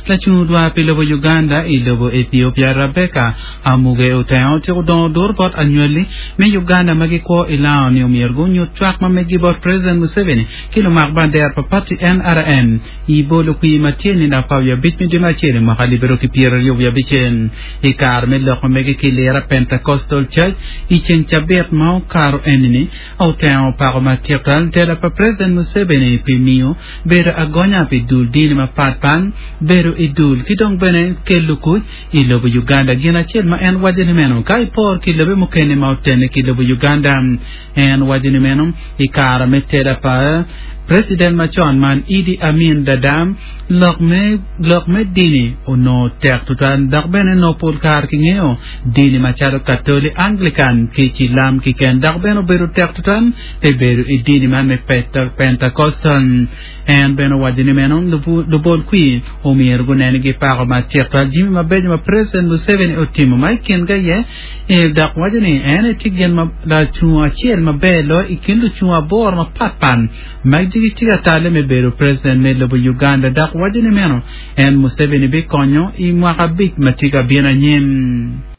Lacung odwar pi lobo Uganda i lobo Ethiopia Rabecca Amuge Otengo otyeko dongo dur bot anywali me Uganda ma gikwo i Lao ni omyero gunyut cwak ma meggi bot President Museveni ki lumak bandera pa pati NRM i bolo kwir ma tye nino 15 me dwe me acel i mwaka alip aryo ki 25 i kare me lok ma mege ki Lira Pentecostal Church i ceng cabit ma okato enini. Otengo opako matik twal tela pa President Museveni pi miyo bedo agonya pi dul dini mapat pat, bedo i dul ki dong bene kelo kuc i lobo Uganda. Gin acel ma en waco ni meno ka ipor ki lobe mukene ma otene ki lobo Uganda. En waco ni meno i kare me tela pa President macon man Idi Amin Dada, lok me lok me dini onongo tek tutwal dok bene nongo pol kare kingeyo dini macalo Katoli, Anglican ki Cilam kiken dok bene obedo tek tutwal pi bedo i dini man me Pentecostal. En bene owaco ni meno lubol kwir omyero gunen ni gipako matek twal jami mabeco ma President Museveni otimo ma i kingi aye dok waco ni en aye tye gin ma lacungo acel maber loyo i kin lucungo aboro mapat pat ma gitye ka tale me bedo President me lobo Uganda dok waco ni meno en Museveni bikonyo i mwaka abic ma tye ka bino anyim.